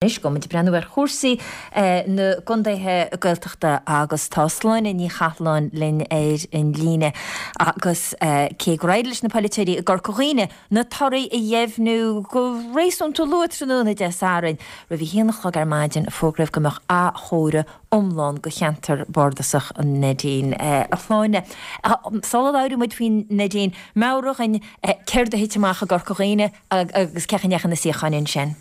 Anois gabhfaidh muid ag breathnú ar chúrsaí na gcontaetha Gaeltachta agus tá Sláine Ní Chathalláin linn ar an líne agus cé gur éirigh leis na polaiteoirí i gCorca Dhuibhne na torthaí a dheimhniú go réasúnta luath tráthnóna Dé Sathairn, roimh a haon a chlog ar maidin fógraíodh go mbeadh athchomhaireamh iomlán do cheantar bardasach an Neidín. A Shláine, sula labhraíonn muid faoin Neidín, meabhraigh dhuinn céard a thit amach i gCorca Dhuibhne agus cén chaoi a ndeachaigh na suíocháin ansin.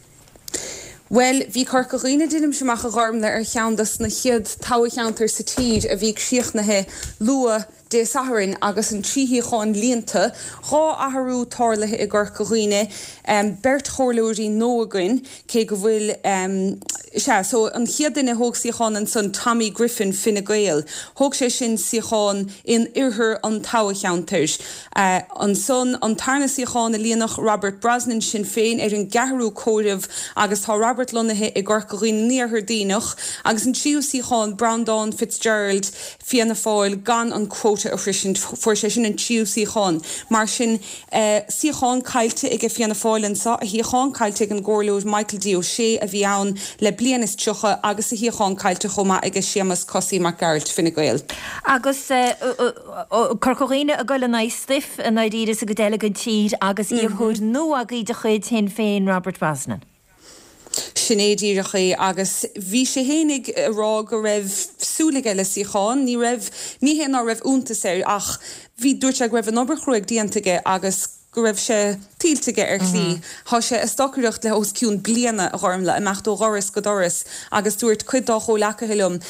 Bhuel, bhí Corca Dhuibhne, deinimse amach, a Ghormlaith, ar cheann dos na chéad toghcheantair sa tír a bhí críochnaithe luath Dé Sathairn agus an 3 shuíochán líonta. 2 athrú tarlaithe i gCorca Dhuibhne, beirt chomhairleoirí nua againn, cé go bhfuil, sea, so an chéad duine a thóg suíochán ansan, Tommy Griffin, Fine Gael, thóg sé sin suíochán in oirthear an toghcheantair. Ansan, an tarna suíochán a líonadh, Robert Brosnan, Sinn Féin, ar an gceathrú comhaireamh agus tá Robert lonnaithe i gCorca Dhuibhne in Iarthar Duibhneach. Agus an tríú suíochán, Breandán Fitzgerald, Fianna Fáil, gan an quota a shroisint, fuair sé sin an tríú suíochán. Mar sin, suíochán caillte aige Fianna Fáil anso, a shuíochán caillte ag an gComhairleoir Michael D. Ó Sé a bhí ann le bliain is 30 agus a shuíochán caillte chomh maith aige Séamus Cosaí Mac Gearailt, Fine Gael. Agus. Corca Dhuibhne ag dul in aghaidh stuif i ndáiríre sa gcuid eile den tír agus iarrthóir nua agaibh de chuid Shinn Féin, Robert Brosnan. Sin é díreach é agus bhí sé fhéinig ag rá go raibh súil aige le suíochán. Ní raibh, ní hé ná raibh iontas air ach bhí, dúirt sé go raibh an obair chruaidh déanta aige agus go raibh sé tuillte aige ar shlí. Thá sé ag stocaireacht le os cionn bliana, a Ghormlaith, imeacht ó dhoras go doras agus dúirt cuid dá chomhleacaithe liom,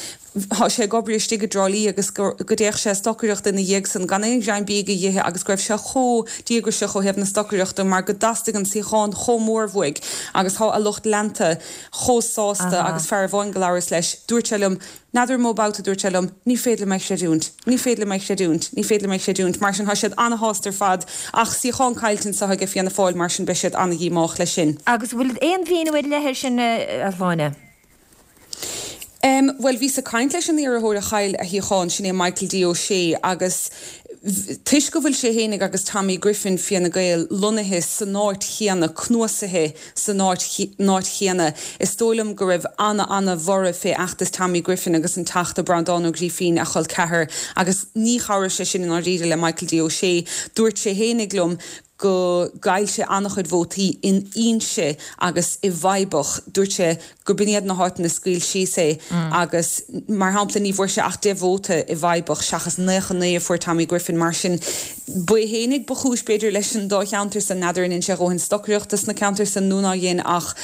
thá sé ag obair istigh i dTrá Lí agus go dtéadh sé ag stocaireacht ina dhiaidh san gan aon ghreim bídh a dh'ithe agus go raibh sé chomh díograiseach ó thaobh na stocaireachta mar go dteastaigh an suíochán chomh mór uaidh agus thá a lucht leanta chomh sásta agus fear amháin go labhras leis, dúirt sé liom, N'fheadar an mó babhta a dúirt sé liom, ní féidir liom é a chreidiúint, ní féidir liom é a chreidiúint, ní féidir liom é a chreidiúint. Mar sin, tá siad ana-shásta ar fad ach suíochán caillte anseo aige Fianna Fáil, mar sin beidh siad ana-dhíomách leis sin. Agus an bhfuil aon mhíniú ar leith air sin, a Shláine? Em, bhuel, bhíos ag caint leis an iarrthóir a chaill a shuíochán, sin é Michael D. Ó Sé, agus toisc go bhfuil sé fhéinig agus Tommy Griffin, Fianna Gael, lonnaithe san áit chéanna, cnuasaithe san áit chéanna. Is dóigh liom go raibh ana-ana-bhorradh fé fheachtas Tommy Griffin agus an Teachta Breandán Ó Grífín, a chol ceathar, agus ní chabhraigh sé sin i ndáiríre le Michael D. Ó Sé. Dúirt sé fhéinig liom go gcaill sé ana-chuid vótaí in Inse agus i bhFeadhbach. Dúirt sé go b'in iad na háiteanna a scaoil síos é agus, mar shampla, ní bhfuair sé ach 10 vóta i bhFeadhbach seachas 99 a fuair Tommy Griffin. Mar sin, ba é fhéinig ba chúis, b'fhéidir, leis an dá cheantar san. N'fheadar an dhein sé a dhóthain stocaireachta sna ceantair san nó ná dhein ach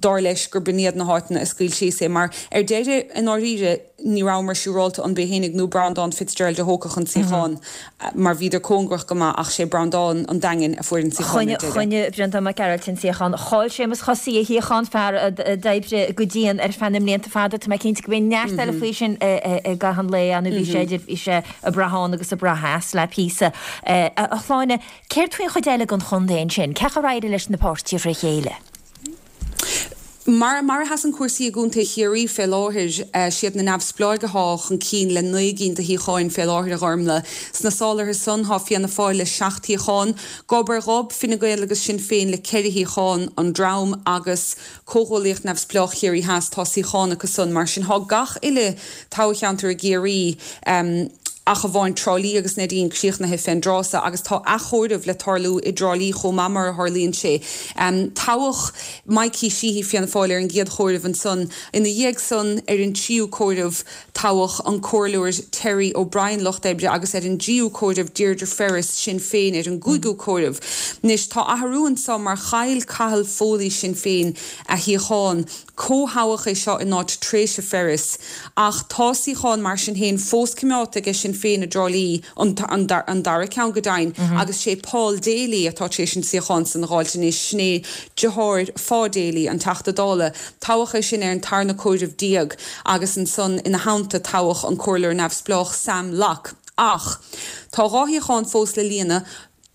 dar leis gur b'in iad na háiteanna a scaoil síos é. Mar, ar deireadh, i ndáiríre, ní rabhamar siúrálta an b'é fhéinig nó Breandán Fitzgerald a thógfadh an suíochán mar bhíodar cóngarach go maith ach sé Breandán an Daingin a fuair an suíochán ar deireadh. Choinnigh Breandán Mac Gearailt an suíochán. Chaill Séamus Chosaí a shuíochán, fear a d'oibrigh go dian ar feadh na mblianta fada. Tá mé cinnte go mbeidh neart eile faoi sin i gcaitheamh an lae ann. Bhí sé idir, bhí sé ag brath ann agus ag brath as le píosa. A Shláine, céard faoin chuid eile den chontae ansin? Cén chaoi ar éirigh leis na páirtithe fré chéile? Mar mar a sheasann cúrsaí i gContae Chiarraí fé láthair, siad na Neamhspleáigh athá chun cinn le 9 gcinn de shuíocháin fé láthair, a Ghormlaith. Sna sálaithe san thá Fianna Fáil le 7 shuíochán, gob ar ghob, Fine Gael agus Sinn Féin le 4 shuíochán an dream agus Comhghuaillíocht Neamhspleách Chiarraí Theas tá suíochán acu san. Mar sin thá gach uile toghcheantar i gCiarraí, ach amháin Trá Lí agus Neidín críochnaithe fén dtráth so agus tá athchomhaireamh le tarlú i dTrá Lí chomh maith mar a tharlaíonn sé. Toghadh Mikey Sheehy, Fianna Fáil, ar an gcéad chomhaireamh ansan. Ina dhiaidh san, ar an tríú comhaireamh, toghadh an Comhairleoir Terry O'Brien, Lucht Oibre, agus ar an dtríú comhaireamh Deirdre Ferris, Sinn Féin, ar an gcúigiú comhaireamh. Anois tá athrú anso mar chaill Cathal Foley, Sinn Féin, a shuíochán. Comhthoghadh é seo in áit Treasa Ferris, ach tá suíochán mar sin féin fós coimeádta aige Sinn Féin i dTrá Lí, an dara ceann go deimhin, agus sé Paul Daly atá tar éis an suíochán san a dh'fháilt anois, sin é deartháir Pha Daly, an Teachta Dála. Toghadh é sin ar an tarna comhaireamh déag agus ansan ina theannta toghadh an Comhairleoir Neamhspleách Sam Locke. Ach tá dhá shuíochán fós le líonadh.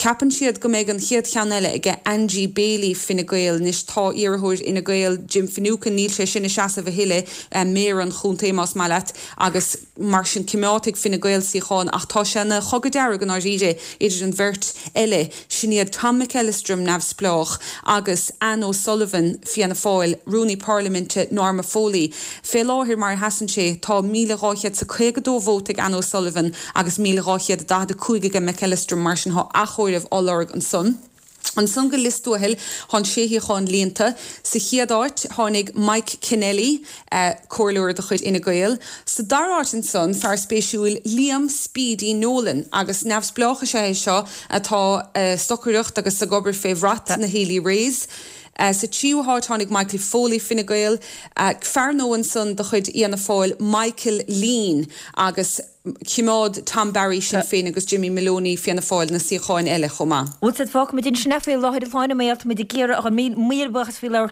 Ceapann siad go mbeidh an chéad cheann eile aige Angie Bailey, Fine Gael. Anois tá iarrthóir Fhine Gael, Jim Finucane, níl sé sin ag seasamh a thuilleadh, méara an chontae más maith leat, agus mar sin cimeádfaidh Fine Gael suíochán ach tá sé ina chogadh dearg i ndáiríre idir an bheirt eile. Sin iad Tom McEllistrim, Neamhspleách, agus Anne O'Sullivan, Fianna Fáil, Rúnaí Parlaiminte Norma Foley. Fé láthair, mar a sheasann sé, tá 1,252 vóta ag Anne O'Sullivan agus 1,245 aige McEllistrim, mar sin thá athchomhaireamh á lorg ansan. Ansan go Lios Tuathail thá an sé shuíochán líonta. Sa chéad áit tháinig Mike Kennelly, comhairleoir de chuid Fhine Gael. Sa dara háit ansan, fear spéisiúil, Liam Speedy Nolan, agus neamhspleách is ea é seo atá ag stocaireacht agus ag obair fé bhrat na Healy-Raes. Sa tríú háit tháinig Michael Foley, Fine Gael. Fear nua ansan de chuid Fhianna Fáil, Michael Leen, agus choimeád Tom Barry, Sinn Féin, agus Jimmy Moloney, Fianna Fáil, na suíocháin eile chomh maith. Bhuel, fágfaimid ansin é faoi láthair a Shláine, mar tá muid ag iarraidh a míle buíochas faoi labhairt.